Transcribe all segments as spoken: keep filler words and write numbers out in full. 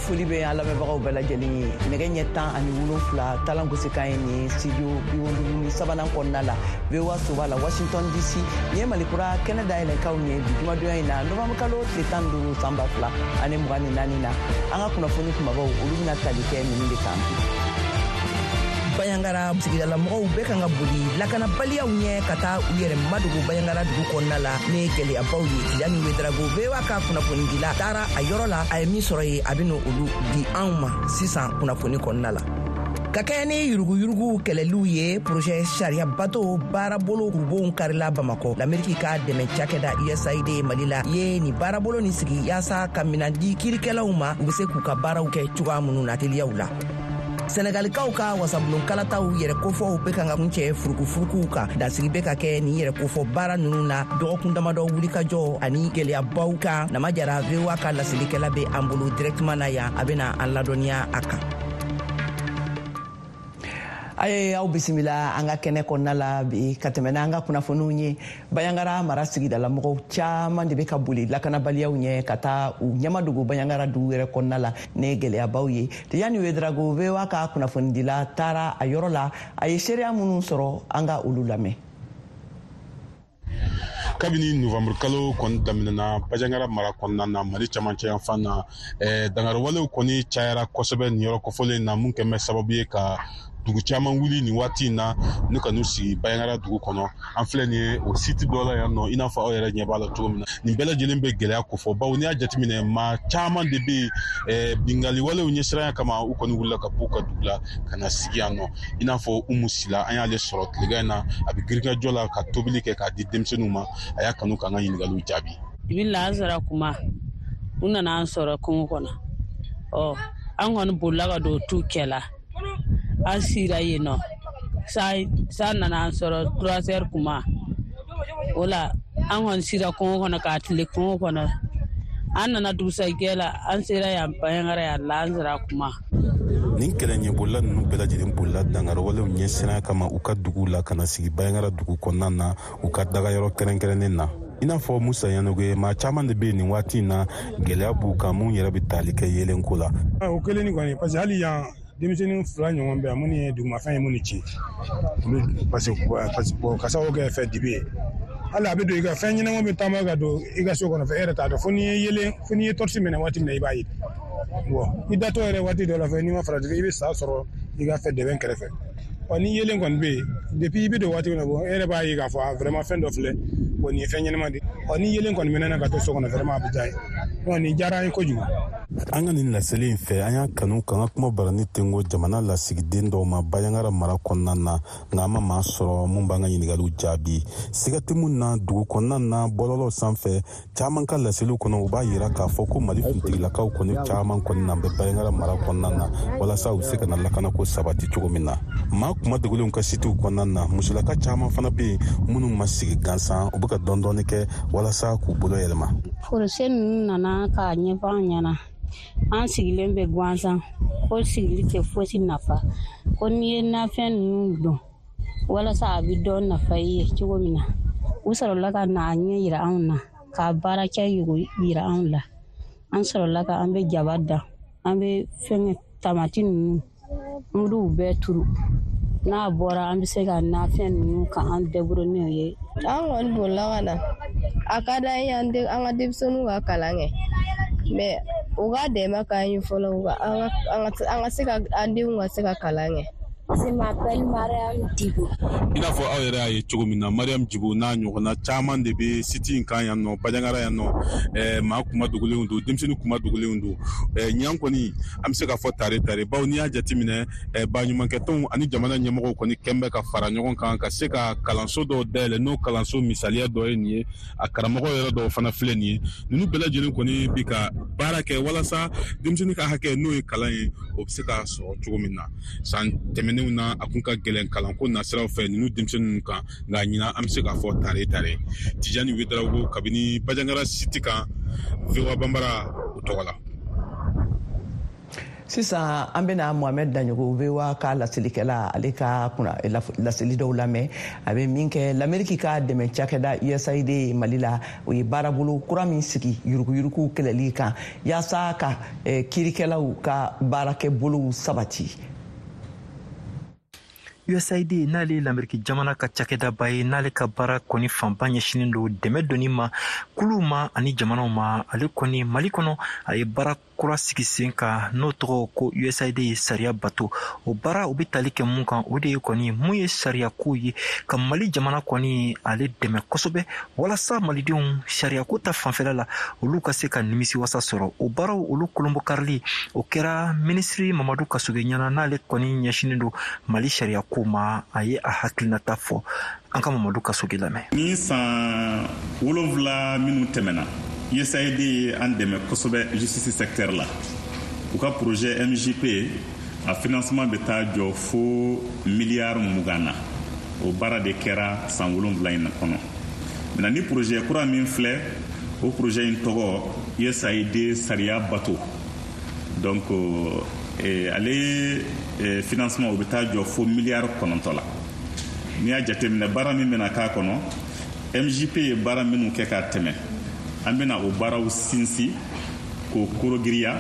Foli bɛ an lamɛnbagaw bɛɛ lajɛlen ye. Nɛgɛ ɲɛ tan ani wolonfila talan gosikan ye nin ye studio bi wolonwula ni sabanan kɔnɔna la, V O A soba la, Washington D C. Nin ye Malikura kɛnɛ dayɛlɛnkaw ye bi jumadonya in na, novembre kalo tile tan ni duuru, san ba fila ani mugan ni naani na. An ka kunnafoni kumabaw, olu bɛna tali kɛ ninnu de kan bi. Bayangara sigidalamɔgɔw bɛɛ kan ka boli lakanabaliyaw ɲɛ ka taa u yɛrɛ madogo Bayangara dugu kɔnɔna la ni gwɛlɛyabaw ye. Tijani Wedarago, V O A ka kunnafonidila, taara a yɔrɔ la. A ye min sɔrɔ ye, a bɛ olu di anw ma sisan kunnafoni kɔnɔna la. Ka kɛɲɛ ni yuruguyurugu kɛlɛliw ye, projet sariya bato baarabolo kurubonw karila Bamakɔ. Lameriki ka dɛmɛ cakɛda U S A I D Mali la ye nin baarabolo nin sigi yaasa ka minan di kiirikɛlaw ma, u be se k'u ka baaraw kɛ cogoya minnu na teliyaw la. Sɛnɛgalikaw ka wasabulon kalataw yɛrɛ kofɔw be kan ka kuncɛ furukufurukuw kan. Dansigi be ka kɛ nin yɛrɛ kofɔ baara nunu na dɔgɔkun damadɔ wulikajɔ ani gwɛlɛyabaw kan. Nama Jara, V O A ka laselikɛla, be an bolo directement na yan, a bena an ladɔnniya a kan. A ye aw bisimila an ka kɛnɛ kɔnɔna la bi. Ka tɛmɛ n'an ka kunnafoniw ye, Bayangara mara sigidalamɔgɔw caman de bɛ ka boli lakanabaliyaw ɲɛ ka taa u ɲɛmadogo Bayangara dugu yɛrɛ kɔnɔna la ni gɛlɛyabaw ye. Tijani Wedrago, V O A ka kunnafonidila, taara a yɔrɔ la. A ye seereya minnu sɔrɔ, an ka olu lamɛn. Kabini novembre kalo kɔni daminɛna Bajangara mara kɔnɔna na, Mali camancɛ yanfan na, eh, dangariwalew kɔni cayara kosɛbɛ nin yɔrɔ kofɔlen na, mun kɛn bɛ sababu ye ka dugu caman wuli nin waati in na n'u ka n'u sigi Bayangara dugu kɔnɔ. An filɛ nin ye o site dɔ la yan nɔ, i n'a fɔ aw yɛrɛ ɲɛ b'a la cogo min na. Nin bɛɛ lajɛlen bɛ gɛlɛya kofɔ, bawo n'i y'a jateminɛ, maa caman de bɛ yen, eh, bingali walew ɲɛsiranya kama, u kɔni wulila ka b'u ka dugu la ka na sigi yan nɔ. I n'a fɔ Umu Sila, an y'ale sɔrɔ tilegan in na, a bɛ girinkajɔ la ka tobili kɛ k'a di denmisɛnninw ma. A y'a kanu k'an ka ɲininkaliw jaabi. Bi lansara kuma, u nana an sɔrɔ kungo kɔnɔ. Ɔ, an kɔni bolila ka don tu cɛ la, an sira yen nɔ. San nana an sɔrɔ trois heures kuma o la. An kɔni sira kungo kɔnɔ k'a tile kungo kɔnɔ. An nana dugusajɛ la, an sera yan Bayangara yan lansara kuma. Nin kɛlɛ ɲɛbolila ninnu bɛɛ lajɛlen bolila dangariwalew ɲɛsiranya kama u ka duguw la ka na sigi Bayangara dugu kɔnɔna na, u ka dagayɔrɔ kɛrɛnkɛrɛnnen na. I n'a fɔ Musa Yanogo, maa caman de bɛ nin waati in na, gɛlɛya b'u kan, mun yɛrɛ bɛ tali kɛ yeelenko la. O kelen ni kɔni, parce que hali yan denmisɛnnin fila ɲɔgɔn bɛ yan minnu ye dugumafɛn ye, minnu ci olu, parce que ka sababu kɛ fɛn dibi ye. Hali a bɛ don i ka fɛn ɲɛnama bɛ taama ka don i ka so kɔnɔ fɛ, e yɛrɛ t'a dɔn, fo n'i ye yelen, fo n'i ye torche minɛ waati min na, i b'a ye. Bon, i datɔ yɛrɛ waati dɔ la fɛ, n'i ma farati, i bɛ sa sɔrɔ i ka fɛ dɛbɛn kɛrɛfɛ. Ɔ, ni yelen kɔni bɛ yen, depuis i bɛ don waati min na, bon, e yɛrɛ b'a ye k'a fɔ vraiment fɛn dɔ filɛ, bon, nin ye fɛn ɲɛnama de. Ɔ, ni yelen kɔni mɛnna ka to so kɔnɔ, vraiment a bɛ diya ye. Bon, nin diyara an ye kojugu. An ka nin laseli in fɛ, an y'a kanu k'an ka kuma barani tengo jamana lasigiden dɔw ma Bayangara mara kɔnɔna na, nka an ma maa sɔrɔ mun b'an ka ɲiningaliw jaabi. Siga tɛ mun na, dugu kɔnɔna na, bɔlɔlɔw sanfɛ, caaman ka laseliw kɔnɔ, u b'a yira k'a fɔ ko Mali finitigilakaw kɔni caaman kɔni na bɛ Bayangara mara kɔnɔna na, walasa u be se ka na lakanako sabati cogo min na. Maa kuma dogolenw ka sitiw kɔnɔna na, musolaka caaman fana be yen minnu ma sigi gansan, u be ka dɔɔni kɛ walasa k'u bolo yɛlɛma. Projet ninnu nana k'a ɲɛfɔ an ɲɛna. An sigilen bɛ gansan ko sigili tɛ fosi nafa, ko n'i ye nafɛn ninnu dɔn walasa a bɛ dɔ nafa i ye cogo min na. U sɔrɔla ka na a ɲɛ yira anw na, k'a baarakɛ yira anw la. An sɔrɔla ka an bɛ jaba dan, an bɛ fɛnkɛ tamati ninnu, an b'u bɛɛ turu. N'a bɔra, an bɛ se ka nafɛn ninnu ka an débrouiller n'o ye. An kɔni bolila ka na. A ka d'an ye an ka denmisɛnninw ka kalan kɛ, mais u ka dɛmɛ k'an ye fɔlɔ, an ka se ka an denw ka se ka kalan kɛ. Je m'appelle Mariam Djibo. I n'a fɔ aw yɛrɛ y'a ye cogo min na, Mariam Djibo n'a ɲɔgɔnna caman de bɛ site in kan yan nɔ, Bajangara yan nɔ. ɛɛ maa kuma dogolenw don, denmisɛnnin kuma dogolenw don. ɛɛ ɲinan kɔni, an bɛ se k'a fɔ tare tare, bawo n'i y'a jateminɛ, ɛɛ baɲumankɛtɔnw ani jamana ɲɛmɔgɔw kɔni kɛn bɛ ka fara ɲɔgɔn kan ka se ka kalanso dɔw dayɛlɛ. N'o kalanso misaliya dɔ ye nin ye, a karamɔgɔ yɛrɛ dɔw fana filɛ nin ye. Ninnu bɛɛ lajɛlen kɔni bi ka baara kɛ walasa denmisɛnnin ka hakɛ, n'o ye kalan ye, o bɛ se ka sɔrɔ cogo min na. San tɛmɛnenw na, a kun ka gɛlɛn kalanko nasiraw fɛ ninnu denmisɛnninw kan, nka ɲinan an bɛ se k'a fɔ tare tare. Tijani Wedarawogo, kabini Bajangara site kan, V O A Banbara o tɔgɔ la. Sisan an bɛna Mohamed Daɲogo V O A ka laselikɛla, ale ka kunna laseli dɔw lamɛn. A bɛ min kɛ l'Amérique ka dɛmɛ cakɛda U S A I D Mali la, o ye baarabolo kura min sigi yuruguyurugu kɛlɛli kan yaasa ka kiirikɛlaw ka baarakɛbolow sabati. U S A I D n'ale l'Amérique jamana ka cakɛdaba ye, n'ale ka baara kɔni fanba ɲɛsinnen don dɛmɛ donni ma kuluw ma ani jamanaw ma. Ale kɔni Mali kɔnɔ a ye baara kura sigi sen kan n'o tɔgɔ ko U S A I D ye sariya bato. O baara o bɛ tali kɛ mun kan, o de ye kɔni mun ye sariyako ye ka Mali jamana kɔni ale dɛmɛ kosɛbɛ walasa malidenw sariyako ta fanfɛla la olu ka se ka nimisiwasa sɔrɔ. O baaraw olu kolonbokarili o kɛra minisiri Mamadu Kasoge ɲɛna, n'ale kɔni ɲɛsinnen don Mali sariyako ma. A ye a hakilinata fɔ, an ka Mamadu Kasoge lamɛn. Ni san wolonwula minnu tɛmɛna, U S A I D ye an dɛmɛ kosɛbɛ justice secteur la. U ka projet M J P a financement bɛ taa jɔ fo miliyari mugan na. O baara de kɛra san wolonwula in kɔnɔ. Maintenant ni projet kura min filɛ, o projet in tɔgɔ U S A I D sariya bato. Donc eh, ale eh, financement o bɛ taa jɔ fo miliyari kɔnɔntɔn la. N'i y'a jateminɛ baara min bɛna k'a kɔnɔ, M J P ye baara minnu kɛ k'a tɛmɛ, an bɛna o baaraw sinsin k'o korogiriya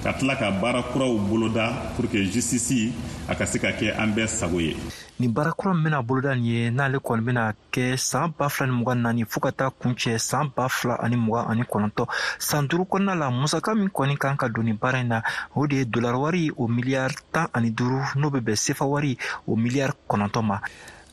ka tila ka baara kuraw boloda pour que justice a ka se ka kɛ an bɛɛ sago ye. Nin baara kura min bɛna boloda nin ye, n'ale kɔni bɛna kɛ san ba fila ni mugan naani fo ka taa kuncɛ san ba fila ani mugan ani kɔnɔntɔn, san duuru kɔnɔna la, musaka min kɔni kan ka don nin baara in na, o de ye dolari wari o miliyari tan ani duuru, n'o bɛ bɛn sefa wari o miliyari kɔnɔntɔn ma.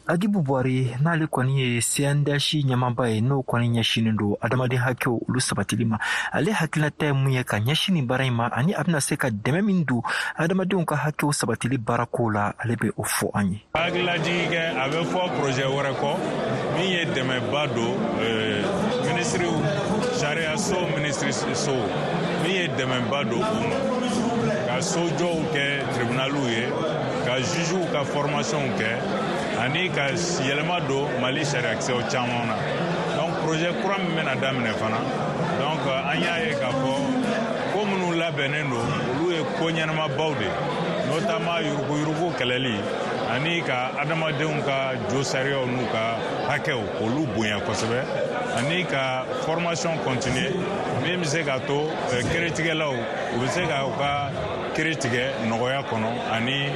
Agibu Buhari n'ale kɔni ye C N D H ɲɛmaaba ye, n'o kɔni ɲɛsinnen don adamaden hakɛw olu sabatili ma. Ale hakilinata ye mun ye ka ɲɛsin nin baara in ma, ani a bɛna se ka dɛmɛ min don adamadenw ka hakɛw sabatili baarako la, ale bɛ o fɔ an ye. Hakililajigin kɛ, a bɛ fɔ projet wɛrɛ kɔ min ye dɛmɛba don minisiriw sariyaso minisiriso min ye dɛmɛba don u ma ka sojɔw kɛ tribunaliw ye, ka jugew ka formation kɛ, ani ka yɛlɛma don Mali sariyakisɛw caman na. Donc projet kura min bɛna daminɛ fana, donc an y'a ye k'a fɔ ko minnu labɛnnen don olu ye ko ɲɛnamabaw de ye, notamment yuruguyurugu kɛlɛli ani ka adamadenw ka jo sariyaw n'u ka hakɛw k'olu bonya kosɛbɛ, ani ka formation continuer min bɛ se k'a to kiiritigɛlaw u bɛ se ka u ka kiiri tigɛ nɔgɔya kɔnɔ ani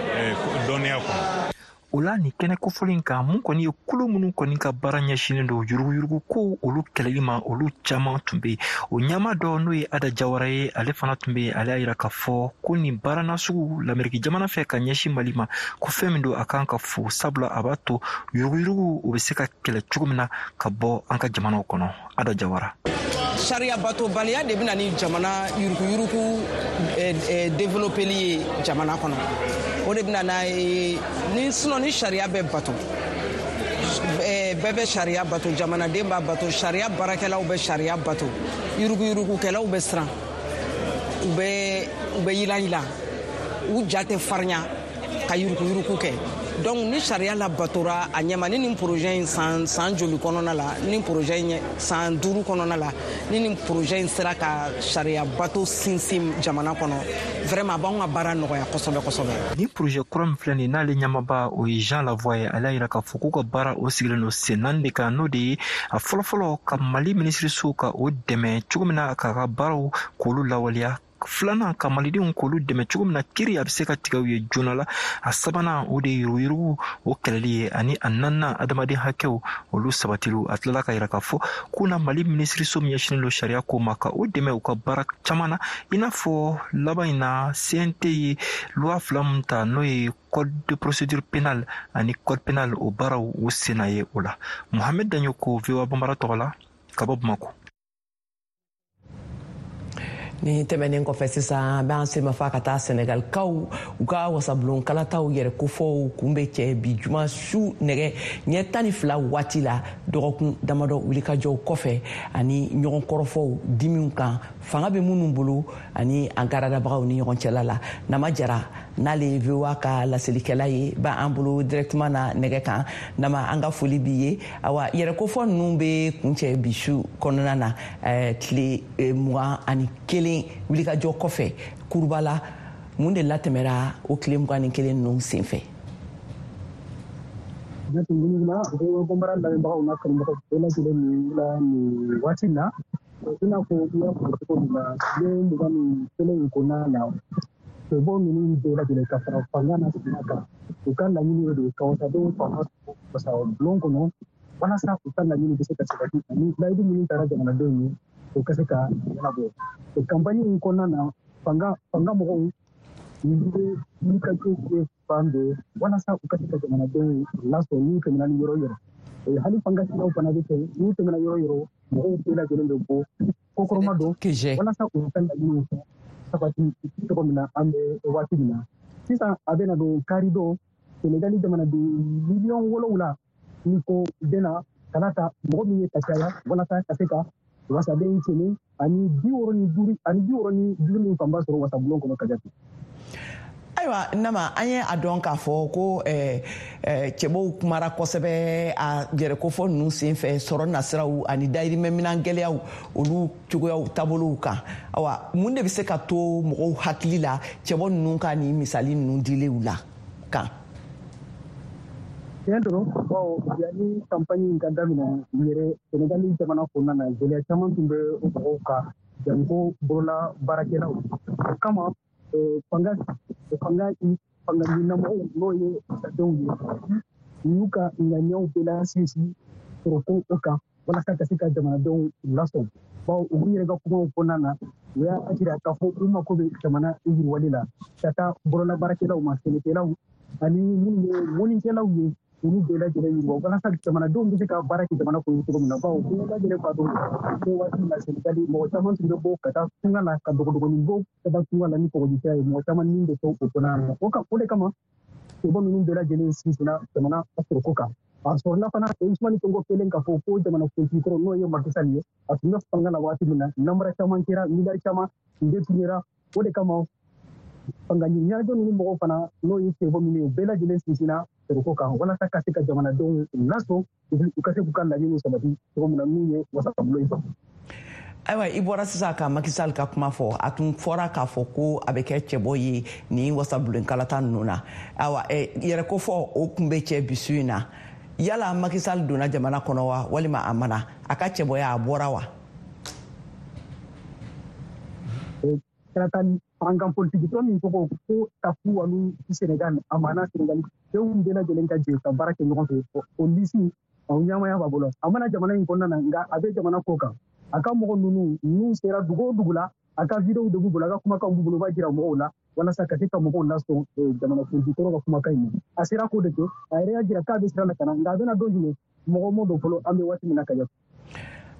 dɔnniya kɔnɔ. O la nin kɛnɛ kofɔlen kan, mun kɔni ye kulu minnu kɔni ka baara ɲɛsinnen don yuruguyurugu ko olu kɛlɛli ma, olu caman tun bɛ yen. O ɲɛmaa dɔ n'o ye Ada Jawara ye, ale fana tun bɛ yen. Ale y'a yira k'a fɔ ko nin baara nasugu l'Amérique jamana fɛ ka ɲɛsin Mali ma, ko fɛn min don a kan ka fo, sabula a b'a to yuruguyurugu o bɛ se ka kɛlɛ cogo min na ka bɔ an ka jamanaw kɔnɔ. Ada Jawara. Sariya batobaliya de bɛna ni jamana yuruguyurugu développeli ye jamana kɔnɔ. O de bɛna n'a ye ni sinon ni sariya bɛ bato, bɛɛ bɛ sariya bato, jamanaden b'a bato, sariya baarakɛlaw bɛ sariya bato, yuruguyurugukɛlaw bɛ siran, u bɛ u bɛ yilan-yilan, u ja tɛ farinya ka yuruguyurugu kɛ. Donc ni sariya labatora a ɲɛma, ni nin projet in san san joli kɔnɔna la, ni projet in san duuru kɔnɔna la, ni nin projet in sera ka sariya bato sinsin jamana kɔnɔ, vraiment a b'anw ka baara nɔgɔya kosɛbɛ kosɛbɛ. Nin projet kura min filɛ nin ye, n'ale ɲɛmaaba o ye Jean Lavoie ye, ale y'a yira k'a fɔ k'u ka baara o sigilen don sen naani de kan, n'o de ye a fɔlɔfɔlɔ ka Mali minisiriso ka o dɛmɛ cogo min na k'a ka baaraw k'olu lawaleya, filanan ka malidenw k'olu dɛmɛ cogo min na kiiri a bɛ se ka tigɛ u ye joona la, a sabanan o de ye yuruguyurugu o kɛlɛli ye, ani a naaninan adamaden hakɛw olu sabatiliw. A tilala ka yira k'a fɔ k'u na Mali minisiriso min ɲɛsinnen don sariya ko ma ka o dɛmɛ u ka baara caman na, i n'a fɔ laban in na C N T ye loi fila min ta, n'o ye code de procédure pénale ani code pénal, o baaraw o senna ye o la. Mohamed Daɲoko, V O A Banbara tɔgɔ la ka bɔ Bamakɔ. Ni tɛmɛnen kɔfɛ sisan, an b'an senmafa ka taa Senegalikaw u ka wasabulon kalataw yɛrɛ kofɔw kun bɛ cɛ bi juma su nɛgɛ ɲɛ tan ni fila waati la, dɔgɔkun damadɔ wulikajɔw kɔfɛ ani ɲɔgɔn kɔrɔfɔw dimiw kan fanga bɛ minnu bolo ani an garadabagaw ni ɲɔgɔn cɛla la. Nama Jara n'ale ye V O A ka laselikɛla ye, b'an bolo directement na nɛgɛ kan. Nama, an ka foli b'i ye. Awa, yɛrɛ kofɔ ninnu bɛ kuncɛ bi su kɔnɔna na, tile mugan ani kelen wulikajɔ kɔfɛ Kurubala Mun de latɛmɛra o tile mugan ni kelen ninnu senfɛ? Jateminɛ V O A Bambara lamɛnbagaw n'a kanubagaw bɛɛ lajɛlen nin la nin waati in na, i n'a fɔ i y'a fɔ cogo min na, tile mugan ni kelen in kɔnɔna na, cɛbɔ ninnu bɛɛ lajɛlen ka fara fanga n'a sina kan, u ka laɲini de ka wasadenw fanga wasa bulon kɔnɔ walasa u ka laɲini bɛ se ka sabati ani layidu minnu taara jamanadenw ye, o ka se ka ɲɛnabɔ. O kanpaɲi in kɔnɔna na, fanga fanga mɔgɔw u bɛ wulikajɔ kɛ fan bɛɛ walasa u ka se ka jamanadenw lasɔrɔ n'u tɛmɛna ni yɔrɔ yɔrɔ. Hali fanga siraw fana bɛ kɛ, n'u tɛmɛna yɔrɔ yɔrɔ, mɔgɔw bɛɛ lajɛlen bɛ bɔ kokɔrɔma don walasa u ka laɲiniw sabati cogo min na an bɛ waati min na. Sisan a bɛna don kari don, Senegali jamanaden miliyɔn wolonwula ni ko bɛna kalata mɔgɔ min ye ka caya walasa ka se ka wasaden kɛmɛ ani bi wɔɔrɔ ni duuru ani bi wɔɔrɔ ni duuru min fanba sɔrɔ wasabulon kɔnɔ ka jate. Ayiwa Nama, an ye a dɔn k'a fɔ ko eh, eh, cɛbɔw kumara kosɛbɛ a yɛrɛkofɔ ninnu senfɛ sɔrɔ nasiraw ani dayirimɛminan gɛlɛyaw olu cogoyaw taabolow kan. Awa, mun de bɛ se ka to mɔgɔw hakili la cɛbɔ ninnu ka nin misali ninnu dilenw la kan? Tiɲɛ dɔrɔn, bawo yanni kanpaɲi in ka daminɛ yɛrɛ, Senegali jamana kɔnɔna na, gɛlɛya caman tun bɛ mɔgɔw kan, janko bolola baarakɛlaw. O kama fanga fanga fanga ɲinamɔgɔw n'o ye wasadenw ye, u y'u ka ŋaniyaw bɛɛ lasinsin sɔrɔko o kan walasa ka se ka jamanadenw lasɔn. Bawo u yɛrɛ ka kumaw kɔnɔna na, u y'a jira k'a fɔ u mako bɛ jamana yiriwali la ka taa bolola baarakɛlaw ma, sɛnɛkɛlaw ani minnu ye mɔnnikɛlaw ye, olu bɛɛ lajɛlen yiriwa walasa jamanadenw bɛ se ka baara kɛ jamana kɔnɔ cogo min na. Bawo bɛɛ lajɛlen b'a dɔn ko waati min na Senegali mɔgɔ caman tun bɛ bɔ ka taa tunga la, ka dogodogonin bɔ ka taa tunga la ni kɔgɔji ye, mɔgɔ caman ni bɛ to o kɔnɔna na. O ka o de kama cɛbɔ ninnu bɛɛ lajɛlen sinsinna jamana sɔrɔko kan. A sɔrɔla fana Ousmane Sonko kelen k'a fɔ ko jamana kuntigi kɔrɔ n'o ye Macky Sall ye, a tun bɛ fanga la waati min na, namara caman kɛra, miliyari caman détournéra. O de kama fanga ɲɛnajɛ ninnu mɔgɔw fana n'o ye cɛbɔ minnu ye, u bɛɛ lajɛlen sinsinna sɔrɔko kan walasa ka se ka jamanadenw lasɔn, u ka se k'u ka laɲiniw sabati cogo min na n'u ye wasabulon in sɔrɔ. Ayiwa, i bɔra sisan ka Macky Sall ka kuma fɔ. A tun fɔra k'a fɔ ko a bɛ kɛ cɛbɔ ye nin wasabulon kalata ninnu na. Ayiwa, yɛrɛkofɔ o kun bɛ cɛ bisu in na. Yala Macky Sall donna jamana kɔnɔ wa, walima a ma na? A ka cɛbɔya a bɔra wa? Kalata fanga politiki tɔn min tɔgɔ ko Taku Wallu Sénégal, a mana Senegali denw bɛɛ lajɛlen ka jɛ ka baara kɛ ɲɔgɔn fɛ, o lisi o ɲɛmaya b'a bolo. A mana jamana in kɔnɔna na, nka a bɛ jamana ko kan. A ka mɔgɔ ninnu n'u sera dugu o dugu la, a ka videow de b'u bolo, a ka kumakanw b'u bolo, u b'a jira mɔgɔw la walasa ka se ka mɔgɔw lasɔn jamana kuntigi kɔrɔ ka kumakan in ma. A sera k'o de kɛ, a yɛrɛ y'a jira k'a bɛ sira la ka na, nka a bɛna don jumɛn, mɔgɔ m'o dɔn fɔlɔ, an bɛ waati min na ka jate.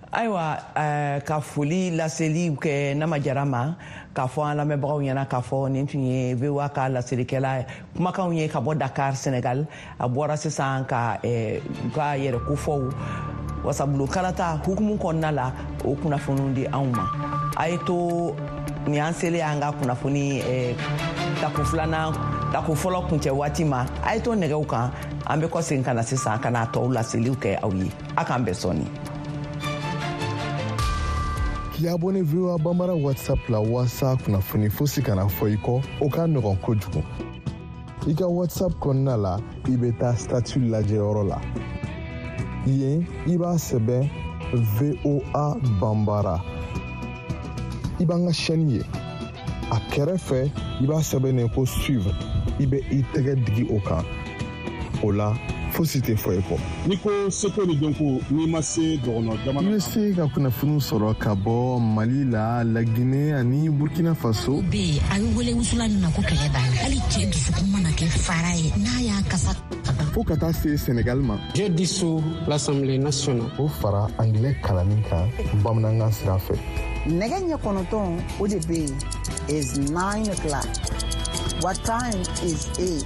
Ayiwa, ka foli laseli kɛ Nama Jara ma, k'a fɔ an lamɛnbagaw ɲɛna k'a fɔ nin tun ye V O A ka laselikɛla kumakanw ye ka bɔ Dakar, Senegal. A bɔra sisan ka u ka yɛrɛkofɔw wasabulon kalata hukumu kɔnɔna la, o kunnafoniw di anw ma. A ye to nin y'an selen an ka kunnafoni tako filanan tako fɔlɔ kuncɛ waati ma. A ye to nɛgɛw kan, an bɛ kɔsegin ka na sisan ka na tɔw laseliw kɛ aw ye. A k'an bɛn sɔɔni. K'i abonné V O A Bambara WhatsApp la walasa kunnafoni fosi kana fɔ i kɔ, o ka nɔgɔn kojugu. I ka WhatsApp kɔnɔna la, i bɛ taa statut lajɛyɔrɔ la. Yen, i b'a sɛbɛn V O A Bambara. I b'an ka chaîne ye. A kɛrɛfɛ, i b'a sɛbɛn ko suivre. I bɛ i tɛgɛ digi o kan. O la, fosi tɛ fɔ i kɔ. N'i ko seko ni dɔnko, n'i ma se dɔgɔnɔ jamana. I bɛ se ka kunnafoniw sɔrɔ ka bɔ Mali la, Laginɛ ani Burkina Faso. Bɛ yen, a bɛ wele wusula min ma ko kɛlɛ b'a la. Hali cɛ dusukun mana kɛ fara ye, n'a y'a kasa. Fo ka taa se Senegal ma. Je dissous l'Assemblée nationale. O fara anglais kalanni kan bamanankan sira fɛ. Nɛgɛ ɲɛ kɔnɔntɔn o de bɛ yen is nine o'clock. What time is it?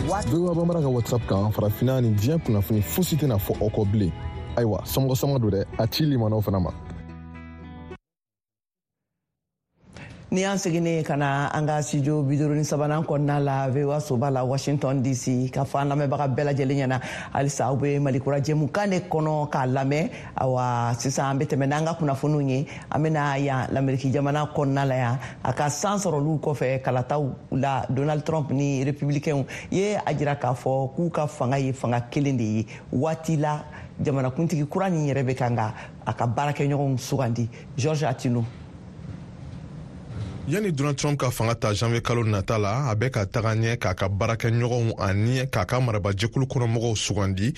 V O A Bambara ka WhatsApp kan, farafinna ni diɲɛ kunnafoni fosi tɛna fɔ aw kɔ bilen. Ayiwa, somɔgɔ sama don dɛ, a ci limanaw fana ma. Ni y'an seginnen ka na an ka studio bi duuru ni sabanan kɔnɔna la V O A soba la Washington D C, ka fɔ an lamɛnbaga bɛɛ lajɛlen ɲɛna halisa aw bɛ Malikura jɛmukan de kɔnɔ k'a lamɛn. Awa sisan an bɛ tɛmɛ n'an ka kunnafoniw ye. An bɛna yan Lameriki jamana kɔnɔna la yan, a ka san sɔrɔliw kɔfɛ kalataw la, Donald Trump ni républicains ye a jira k'a fɔ k'u ka fanga ye fanga kelen de ye. Waati la jamanakuntigi kura nin yɛrɛ bɛ kan ka a ka baarakɛɲɔgɔnw sugandi. George Atino. Yanni Donald Trump ka fanga ta janvier kalo nata la, a bɛ ka taga ɲɛ k'a ka baarakɛɲɔgɔnw ani k'a ka marabajɛkulu kɔnɔmɔgɔw sugandi.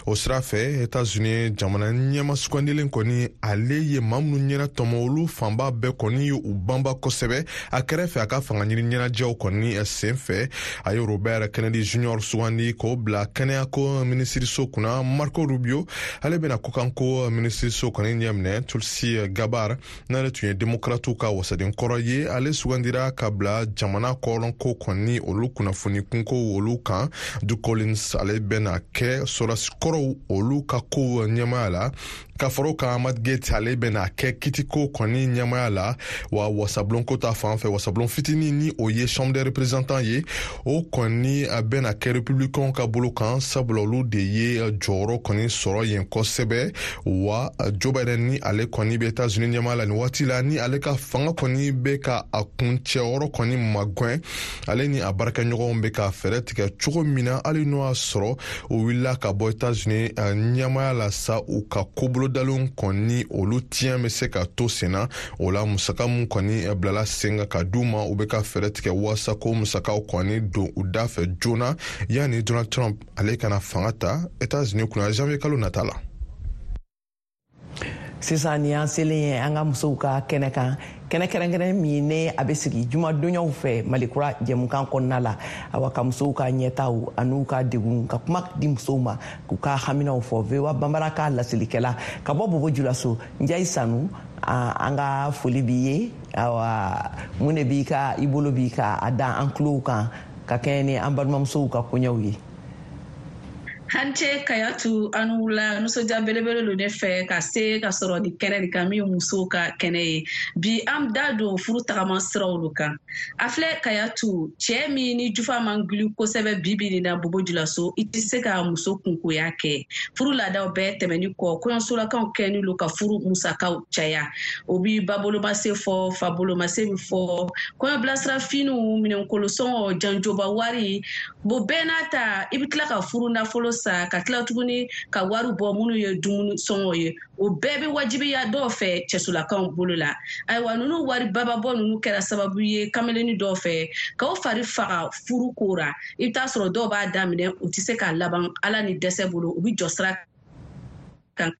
O sira fɛ, États-Unis jamana ɲɛma sugandilen kɔni, ale ye maa minnu ɲɛna tɔmɔ, olu fanba bɛɛ kɔni ye u banba kosɛbɛ a kɛrɛfɛ a ka fanga ɲini ɲɛnajɛw kɔni sen fɛ. A ye Robert Kennedy Junior sugandi k'o bila kɛnɛyako minisiriso kunna. Marco Rubio, ale bɛna kɔkanko minisiriso kɔni ɲɛminɛ. Tulsi Gabbard, n'ale tun ye démocratiw ka wasaden kɔrɔ ye, ale sugandira ka bila jamana kɔrɔnko kɔni olu kunnafoni kunko olu kan. Doug Collins, ale bɛna kɛ sɔrɔdasikɔrɔw olu ka kow ɲɛmaya la. Ka fara o kan, Matt Gaetz, ale bɛna kɛ kitiko kɔni ɲɛmaya la. Wa wasabulonko ta fan fɛ, wasabulon fitinin ni o ye chambre des représentants ye, o kɔni bɛna kɛ républicains ka bolo kan, sabula olu de ye jɔyɔrɔ kɔni sɔrɔ yen kosɛbɛ. Wa Joe Biden, ni ale kɔni bɛ États-Unis ɲɛmaya la nin waati la, ni ale ka fanga kɔni bɛ ka a kuncɛyɔrɔ kɔni magɛn, ale ni a baarakɛɲɔgɔnw bɛ ka fɛɛrɛ tigɛ cogo min na, hali n'o y'a sɔrɔ o wulila ka bɔ États-Unis ɲɛmaya la sa, u ka kobolodalenw kɔni olu tiɲɛ bɛ se ka to sen na. O la, musaka mun kɔni bilala sen kan ka d'u ma, u bɛ ka fɛɛrɛ tigɛ walasa ko musakaw kɔni don u da fɛ joona yanni Donald Trump ale kana fanga ta États-Unis kunna janvier kalo nata la. Sisan ni y'an selen ye an ka musow ka kɛnɛ kan, kɛnɛ kɛrɛnkɛrɛn min ne a bɛ sigi jumadonyaw fɛ Malikura jɛmukan kɔnɔna la. Awa ka musow ka ɲɛtaw an'u ka degun, ka kuma di musow ma k'u ka haminaw fɔ. V O A Banbara ka laselikɛla ka bɔ Bobo Julaso, Njayi Sanu, an ka foli b'i ye. Awa mun de b'i ka i bolo b'i ka a da an tulow kan ka kɛɲɛ ni an balimamusow ka koɲɛw ye? Hance Kayatu, an wula. Nisɔndiya belebele don ne fɛ ka se ka sɔrɔ ni kɛnɛ de kan min ye musow ka kɛnɛ ye. Bi an da don furu tagama siraw de kan. A filɛ Kayatu, cɛɛ min ni jufa man gili kosɛbɛ bi bi nin na Bobo Julaso, i tɛ se ka muso kunkoya kɛ. Furu laadaw bɛɛ tɛmɛni kɔ, kɔɲɔsolakaw kɛni lo ka furu musakaw caya. O bi babolomase fɔ, fabolomase bi fɔ, kɔɲɔbilasira finiw, minɛnkolosɔngɔ, janjoba wari, bo bɛɛ n'a ta, i bɛ tila ka furu nafolo sa, ka tila tuguni ka wari bɔ minnu ye dumuni sɔngɔ ye. O bɛɛ bɛ wajibiya dɔw fɛ cɛsolakaw bolo la. Ayiwa ninnu wari bababɔ ninnu kɛra sababu ye kameleni dɔw fɛ k'aw fari faga furu ko ra. I bɛ taa sɔrɔ dɔw b'a daminɛ, u tɛ se k'a laban Ala ni dɛsɛ bolo, u bɛ jɔ sira kan.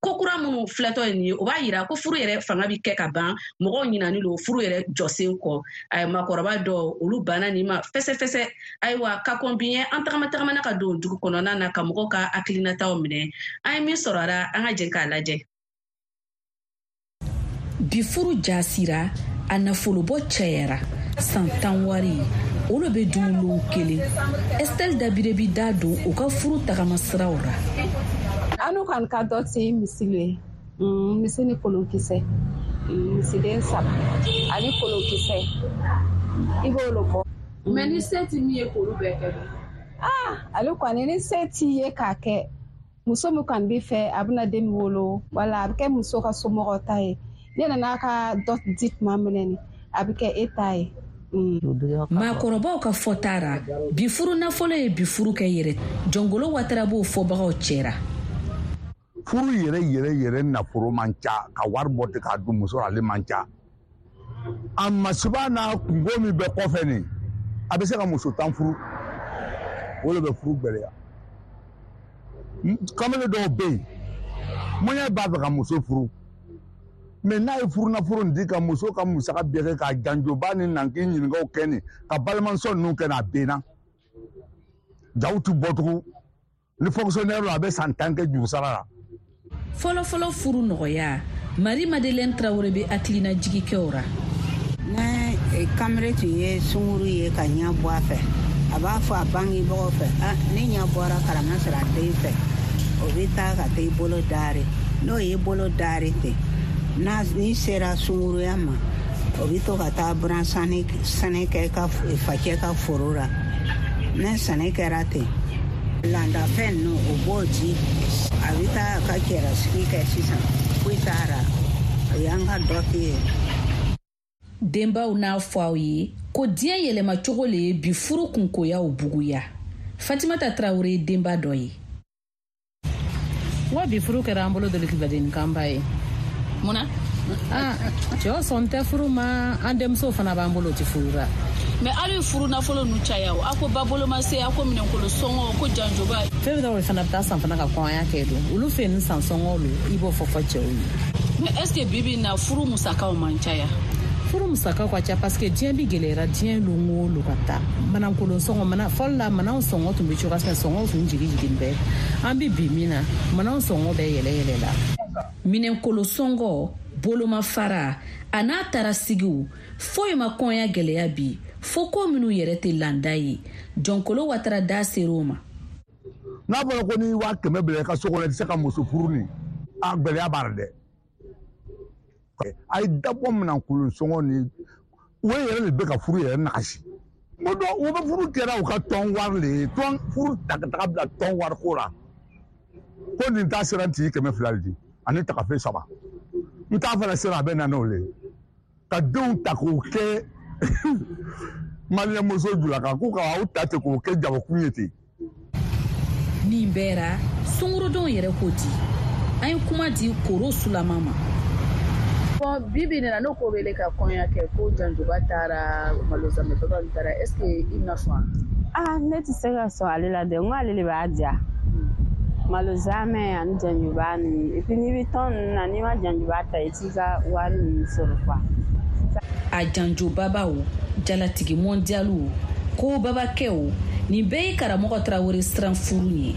Ko kura minnu filɛtɔ ye nin ye, o b'a yira ko furu yɛrɛ fanga bi kɛ ka ban, mɔgɔw ɲinani lo furu yɛrɛ jɔsen kɔ. Ayiwa maakɔrɔba dɔw olu banna nin ma fɛsɛfɛsɛ. Ayiwa ka kɔn bi ɲɛ, an tagama tagamana ka don dugu kɔnɔna na ka mɔgɔw ka hakilinataw minɛ. An ye min sɔrɔ a la, an ka jɛ k'a lajɛ. Bi furu jasira, a nafolobɔ cayara, san tan wari olu bɛ dun lon kelen. Estelle Dabire bi da don u ka furu tagama siraw ra. Anu kan ka dɔ ti misile, misi ni kolonkisɛ, misiden saba ani kolonkisɛ, i b'olu bɔ. Mɛ ni se ti min ye k'olu bɛɛ kɛ dun? Ah, ale kɔni ni se t'i ye k'a kɛ, muso min kɔni b'i fɛ, a bɛna den min wolo, wala a bɛ kɛ muso ka somɔgɔw ta ye. Ne nana ka dɔ di tuma min na ni, a bɛ kɛ e ta ye. Maakɔrɔbaw ka fɔta ra, bi furu nafolo ye bi furu kɛ yɛrɛ. Jɔngolo Watara b'o fɔbagaw cɛra. Furu yɛrɛ yɛrɛ yɛrɛ nafolo man ca, ka wari bɔ ten k'a dun muso la, ale man ca. A masiba n'a kungo min bɛ kɔfɛ nin, a bɛ se ka muso tan furu, o de bɛ furu gɛlɛya. Kamalen dɔw bɛ yen, mɔɲɛ b'a fɛ ka muso furu, mɛ n'a ye furu nafolo nin di ka muso ka musaka bɛɛ kɛ, ka janjoba ni nanki ɲininkaw kɛ nin, ka balimamuso ninnu kɛ nin, a benna. Jaw ti bɔ tugun. Ni fonctionnaire la, a bɛ san tan kɛ jurusara la. Fɔlɔfɔlɔ furu nɔgɔya, Marie Madeleine Traoré bɛ hakilina jigi kɛ o ra. Ne kamalen tun ye sunkuru ye ka ɲɛ bɔ a fɛ, a b'a fɔ a bangebagaw fɛ, ah, ne ɲɛ bɔra karama sɔrɔ a den fɛ, o bɛ taa ka taa i bolo dari. N'o y'i bolo dari ten, n'a n'i sera sunkuruya ma, O bɛ to ka taa buran sɛnɛ kɛ ka facɛ ka foro la. Ne sɛnɛ kɛra ten, landafɛn ninnu o b'o di, a bɛ taa a ka cɛlasigi kɛ sisan, foyi t'a la, o y'an ka dɔti ye. Denbaw n'a fɔ aw ye ko diɲɛ yɛlɛmacogo le ye bi furu kunkoyaw buguya. Fatimata Tarawele ye denba dɔ ye. Wa bi furu kɛra an bolo dolokibadennikanba ye. Mun na? Ah, cɛw sɔn tɛ furu ma, an denmusow fana b'an bolo o tɛ furu la. Mais aw ye furu nafolo ninnu caya o, aw ko ba boloma se, aw ko minɛnkolo sɔngɔ, ko janjoba. Fɛn dɔw fana bɛ taa san fana ka kɔɲɔya kɛ don, olu fɛ nin san sɔngɔ lo, i b'o fɔ fɔ cɛw ye. Mais est ce que bi bi in na furu musakaw man caya? Furu musakaw ka ca parce que diɲɛ bi gɛlɛyara, diɲɛ lon o lo ka taa. Manankolon sɔngɔ, mana fɔlɔ la mananw sɔngɔ tun bɛ cogoya min na, sɔngɔw tun jigin jigin bɛɛ. An bɛ bi min na, mananw sɔngɔ bɛɛ yɛlɛ yɛlɛ la. Minɛnkolo sɔngɔ, bolomafara a n'a tarasigiw, foyi ma kɔnya gɛlɛya bi fo ko minnu yɛrɛ tɛ landa ye. Jɔnkolo Watara da ser'o ma. N'a fɔra ko n'i waa kɛmɛ bila i ka so kɔnɔ, i tɛ se ka muso furu nin, a gɛlɛya b'a la dɛ. A ye dabɔ minɛnkolon sɔngɔ ni o yɛrɛ de bɛ ka furu yɛrɛ nagasi. N ko dɔn o bɛ furu kɛra u ka tɔn wari le ye, tɔn furu ta ka taga bila tɔn wari ko la. Ko nin ta sera n tigi kɛmɛ fila de di ani tagafe saba. N t'a fana sera a bɛ na n'o le ye. Ka denw ta k'o kɛ maliyɛn muso jula kan k'u ka aw ta ten k'o kɛ jabakun ye ten. Nin bɛɛ ra, sungurudenw yɛrɛ ko di? An ye kuma di Koro Sulama ma. Bon, bi bi in na n'o ko b'ele ka kɔɲɔ kɛ ko janjoba taara malozamɛ baba min taara, est ce que i bɛna sɔn? Ah, ne tɛ se ka sɔn ale la dɛ, n ko ale de b'a diya. Malozamɛ ani janjoba ninnu, et puis n'i bɛ tɔn ninnu na, n'i ma janjoba ta, i t'i ka wari ninnu sɔrɔ quoi. A janjobabaw, jalatigi mɔndiyaliw, ko babakɛw, nin bɛɛ ye karamɔgɔ Tarawele siran furu ye.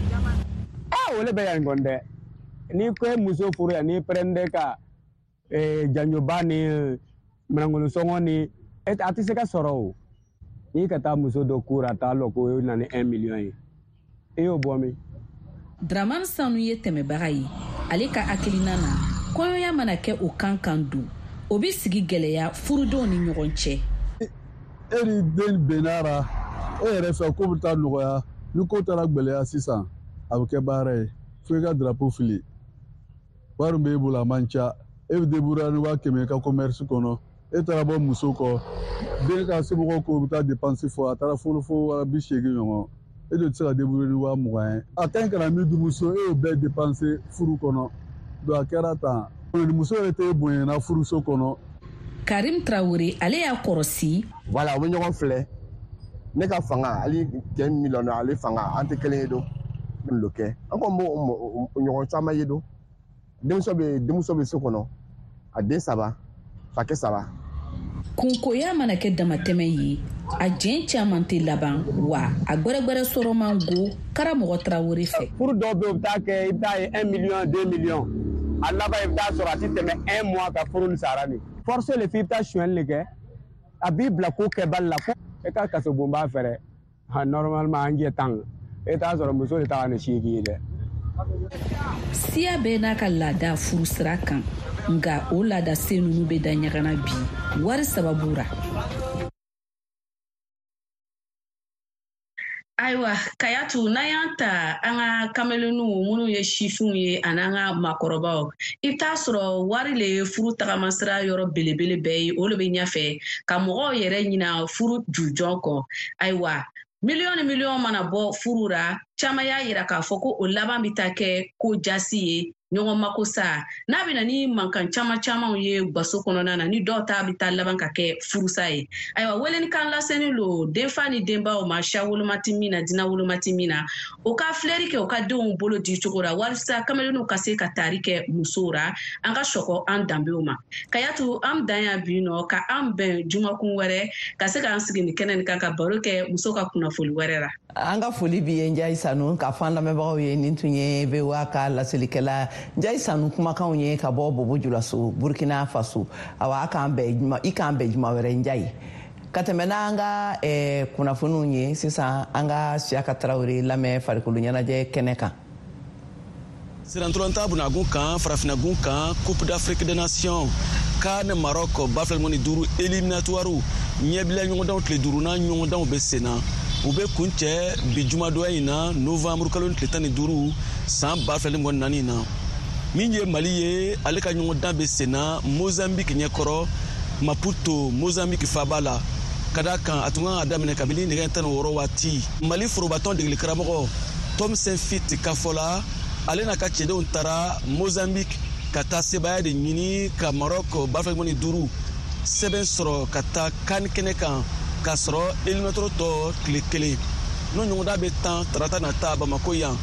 Ah, o le bɛ yan kɔni dɛ. N'i ko e muso furu yan, n'i pɛrɛnde ka janjoba ni manangolo sɔngɔ ni a tɛ se ka sɔrɔ o. N'i ka taa muso dɔ kura a t'a lɔn ko e na ni un million ye, e y'o bɔ min? Dramane Sanu ye tɛmɛbaga ye. Ale ka hakilina na, kɔɲɔya mana kɛ o kan kan don, o bɛ sigi gɛlɛya furudenw ni ɲɔgɔn cɛ. E ni den bɛnna la, e yɛrɛ fɛ ko bɛ taa nɔgɔya, ni ko taara gɛlɛya sisan, a bɛ kɛ baara ye fo i ka drapeau fili. Wari min b'e bolo a man ca, e bɛ débrouiller ni waa kɛmɛ i ka commerce kɔnɔ, e taara bɔ muso kɔ, den ka somɔgɔw ko bɛ taa dépense fɔ, a taara fo fo waa bi seegin ɲɔgɔn, e de tɛ se ka débrouiller ni waa mugan ye. A ka ɲi ka na min di muso, e y'o bɛɛ dépenser furu kɔnɔ, donc a kɛra tan. Muso yɛrɛ tɛ bonyana furuso kɔnɔ. Karim Traoré, ale y'a kɔrɔsi. Voilà, u bɛ ɲɔgɔn filɛ. Ne ka fanga, hali cɛ miliyɔn ale fanga, an tɛ kelen ye don. Lo kɛ. An kɔni b'o ɲɔgɔn caman ye don. Denmuso bɛ denmuso bɛ so kɔnɔ, a den saba, fakɛ saba. Kunkoya mana kɛ damatɛmɛ ye, a jɛn caman tɛ laban wa a gbɛrɛgbɛrɛ sɔrɔ man go karamɔgɔ Tarawele fɛ. Furu dɔw bɛ yen, u bɛ taa kɛ, i bɛ taa ye un million, deux millions. A laban i bɛ taa sɔrɔ a tɛ tɛmɛ un mois ka furu ni sara ni. Force le f'i bɛ taa sonyɛli de kɛ, a b'i bila ko kɛbali la ko e ka kasobonba fɛrɛ. Normalement an jɛ tan, e t'a sɔrɔ muso de ta ka ni seegin ye dɛ. Siya bɛɛ n'a ka laada furu sira kan, nka o laada sen ninnu bɛ da ɲaga bi wari sababu ra. Ayiwa Kayatu, n'an y'an ta an ka kameleniw minnu ye sifinw ye ani an ka maakɔrɔbaw, i bɛ taa sɔrɔ wari le ye furu tagamasira yɔrɔ belebele bɛɛ ye, o le bɛ ɲɛfɛ ka mɔgɔw yɛrɛ ɲina furu jujɔn kɔ. Ayiwa, miliyɔn ni miliyɔn mana bɔ furu ra, caman y'a yira k'a fɔ ko o laban bɛ taa kɛ ko jasi ye, ɲɔgɔn mako sa, n'a bɛ na ni mankan caman camanw ye gaso kɔnɔna na, ni dɔw ta bɛ taa laban ka kɛ furusa ye. Ayiwa, welenikan laseni lo denfa ni denbaw ma, siya woloma tɛ min na, diinɛ woloma tɛ min na, o ka filɛri kɛ u ka denw bolo di cogo la walasa kameleniw ka se ka taari kɛ musow ra, an ka sɔkɔ an danbew ma. Kayatu, an dan yan bi nɔ ka an bɛn jumakun wɛrɛ ka se k'an sigi nin kɛnɛ nin kan ka baro kɛ muso ka kunnafoli wɛrɛ la. An ka foli b'i ye Njayi Sanu, k'a fɔ an lamɛnbagaw ye nin tun ye V O A ka laselikɛla Njayi Sanu kumakanw ye ka bɔ Bobo Julaso, Burkina Faso. Awa, a k'an bɛn i k'an bɛn juma wɛrɛ Njayi. Ka tɛmɛ n'an ka kunnafoniw ye sisan, an ka Siyaka Tarawele lamɛn farikolo ɲɛnajɛ kɛnɛ kan. Sennantolatan bunagun kan, farafinagun kan, Coupe d'Afrique des Nations CAN Maroc ba fila ni duuru éliminatoire ɲɛbila ɲɔgɔndanw tile duurunan ɲɔgɔndanw bɛ sen na. U bɛ kuncɛ bi jumadonya in na, novembre kalo tile tan ni duuru san ba fila ni mugan ni naani na. Min ye Mali ye, ale ka ɲɔgɔndan bɛ sen na Mozambique ɲɛkɔrɔ, Maputo, Mozambique faaba la. Ka d'a kan a tun kan ka daminɛ kabini nɛgɛ tan ni wɔɔrɔ waati. Mali forobatɔn degeli karamɔgɔ Tom Saintfiet ka fɔ la, ale n'a ka cɛdenw taara Mozambique ka taa sebaaya de ɲini ka Maroc ba fila ni duuru sɛbɛn sɔrɔ ka taa CAN kɛnɛ kan, k'a sɔrɔ éliminatoire tɔ tile kelen. N'o ɲɔgɔndan bɛ tan tarata nata Bamako yan.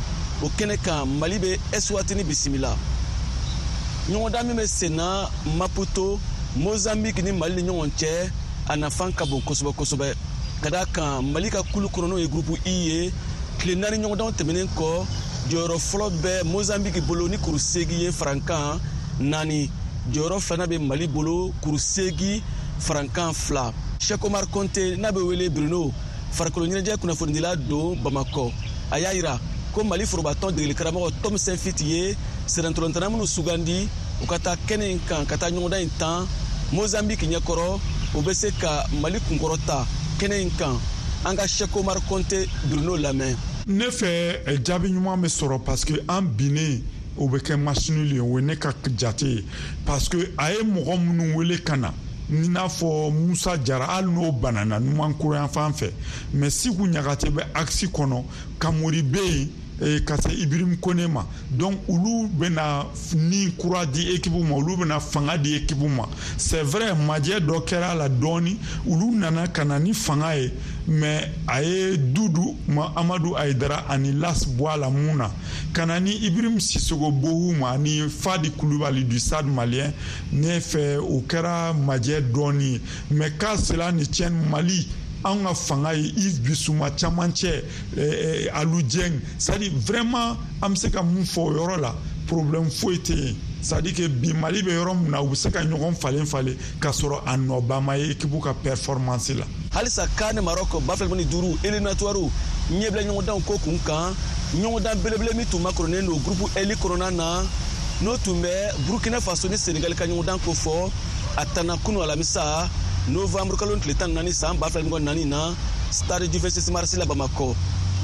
O kɛnɛ kan, Mali bɛ Eswatini bisimila. Ɲɔgɔndan min bɛ sen na Maputo, Mozambique ni Mali ni ɲɔgɔn cɛ, a nafan ka bon kosɛbɛ kosɛbɛ. Ka d'a kan Mali ka kulu kɔnɔ, n'o ye groupe I ye, tile naani ɲɔgɔndanw tɛmɛnen kɔ, jɔyɔrɔ fɔlɔ bɛ Mozambique bolo ni kuru seegin ye, farankan naani. Jɔyɔrɔ filanan bɛ Mali bolo, kuru seegin, farankan fila. Cheikh Omar Konte, n'a bɛ wele Bruno, farikolo ɲɛnajɛ kunnafonidila don Bamakɔ, a y'a yira ko Mali forobatɔn degeli karamɔgɔ Tom Saintfiet ye sennantolatan minnu sugandi u ka taa kɛnɛ in kan ka taa ɲɔgɔndan in tan Mozambique ɲɛkɔrɔ, u bɛ se ka Mali kunkɔrɔta kɛnɛ in kan. An ka Cheikh Omar Konte Bruno lamɛn. Ne fɛ, jaabi ɲuman bɛ sɔrɔ, parce que an binnen, o bɛ kɛ match nul ye. O ye ne ka jate ye, parce que a ye mɔgɔ minnu wele ka na, i n'a fɔ Musa Jara, hali n'o banana numankuru yan fan fɛ, mais Siku Ɲagate bɛ axe kɔnɔ, Kamori bɛ yen, ka se Ibrahim Kone ma. Donc olu bɛna ni kura di équipe ma, olu bɛna fanga di équipe ma. C'est vrai, majɛ dɔ kɛra a la dɔɔni, olu nana ka na ni fanga ye, mais a ye Dudu Amadu Ayidara ani Las bɔ a la mun na ka na ni Ibrahim Sissoko Bohu ma ani Fadi Kulubali du Stade Malien. Ne fɛ, o kɛra majɛ dɔɔni ye, mais qu'à cela ne tienne, Mali, an ka fanga ye Yves Bissouma camancɛ, Alou Dieng, c'est à dire vraiment an bɛ se ka mun fɔ o yɔrɔ la, problème foyi tɛ yen. C'est à dire que bi Mali bɛ yɔrɔ min na, u bɛ se ka ɲɔgɔn falen falen k'a sɔrɔ a nɔba ma ye équipe ka performance la. Halisa CAN Maroc ba fila ni duuru éliminatoire ɲɛbila ɲɔgɔndanw ko kun kan, ɲɔgɔndan belebele min tun makɔrɔnen don groupe L kɔnɔna na, n'o tun bɛ Burkina Faso ni Sénégal ka ɲɔgɔndan ko fɔ, a tanna kunu alamisa novembre kalo tile tan ni naani san ba fila ni mugan ni naani na, stade du vingt-six mars la Bamakɔ.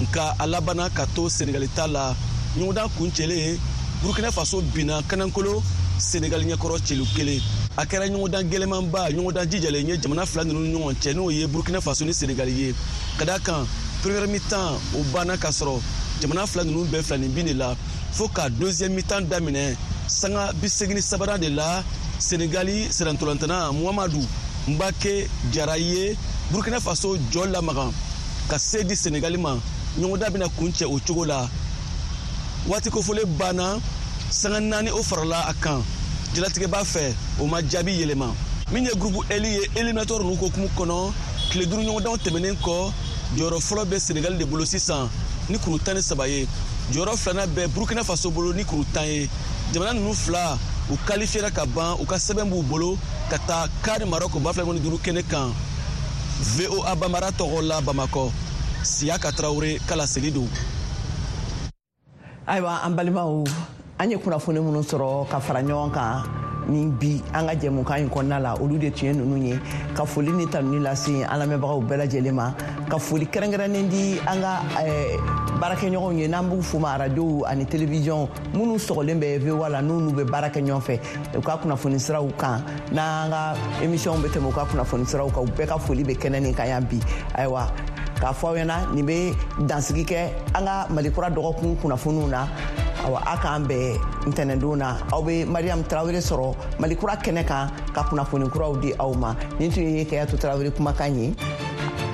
Nka a labanna ka to Sénégal ta la. Ɲɔgɔndan kuncɛlen, Burkina Faso binna kanankolo Sénégal ɲɛkɔrɔ celu kelen. A kɛra ɲɔgɔndan gɛlɛmanba, ɲɔgɔndan jijalen ye jamana fila ninnu ni ɲɔgɔn cɛ, n'o ye Burkina Faso ni Sénégal ye. Ka d'a kan première mi-temps o banna k'a sɔrɔ jamana fila ninnu bɛɛ fila ni bin de la, fo ka deuxième mi-temps daminɛ sanga bi seegin ni sabanan de la, Sénégali sennantolatan Muhamadu Mbake Jara ye Burkina Faso jɔ lamaga ka se di Sénégali ma. Ɲɔgɔndan bɛna kuncɛ o cogo la. Waati kofɔlen banna, sanga naani o farala a kan jalatigɛba fɛ, o ma jaabi yɛlɛma. Min ye groupe L ye, éliminatoire ninnu hokumu kɔnɔ, tile duuru ɲɔgɔndanw tɛmɛnen kɔ, jɔyɔrɔ fɔlɔ bɛ Sénégal de bolo sisan ni kuru tan ni saba ye. Jɔyɔrɔ filanan bɛ Burkina Faso bolo ni kuru tan ye. Jamana ninnu fila, u qualifiera ka ban, u ka sɛbɛn b'u bolo ka taa CAN Maroc ba fila ni duuru kɛnɛ kan. V O A Bambara tɔgɔ la Bamakɔ, Siyaka Tarawele kala seli don. Ayiwa, an balimaw, an ye kunnafoni minnu sɔrɔ ka fara ɲɔgɔn kan ni bi an ka jɛmukan in kɔnɔna la, olu de tun ye ninnu ye. Ka foli ni tanuni lase an lamɛnbagaw bɛɛ lajɛlen ma, ka foli kɛrɛnkɛrɛnnen di an ka baarakɛɲɔgɔnw ye, n'an b'u fo ma, arajow ani télévision minnu sɔgɔlen bɛ V O A la, n'u bɛ baara kɛ ɲɔgɔn fɛ u ka kunnafoni siraw kan, n'an ka émission bɛ tɛmɛ u ka kunnafoni siraw kan, u bɛɛ ka foli bɛ kɛnɛ nin kan yan bi. Ayiwa, k'a fɔ aw ɲɛna, nin bɛ dansigi kɛ an ka Malikura dɔgɔkun kunnafoniw na. Awa, a k'an bɛn ntɛnɛndon na, aw bɛ Mariam Tarawele sɔrɔ Malikura kɛnɛ kan ka kunnafoni kuraw di aw ma. Nin tun ye Kayatu Tarawele kumakan ye.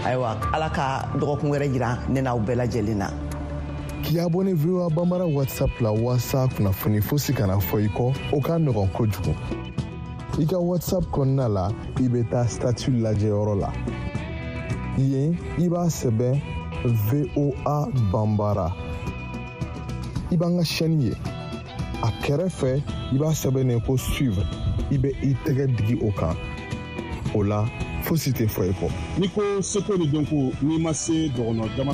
Ayiwa, Ala ka dɔgɔkun wɛrɛ jira ne n'aw bɛɛ lajɛlen na. K'i abonné V O A Bambara WhatsApp la waasa kunnafoni fosi kana fɔ i kɔ, o ka nɔgɔn kojugu. I ka WhatsApp kɔnɔna la, i bɛ taa statut lajɛyɔrɔ la. Yen, i b'a sɛbɛn V O A Bambara. I b'an ka chaîne ye. A kɛrɛfɛ, i b'a sɛbɛn ko suivre. I bɛ i tɛgɛ digi o kan. O la, fosi tɛ fɔ i kɔ. N'i ko seko ni dɔnko, n'i ma se dɔgɔnɔ jama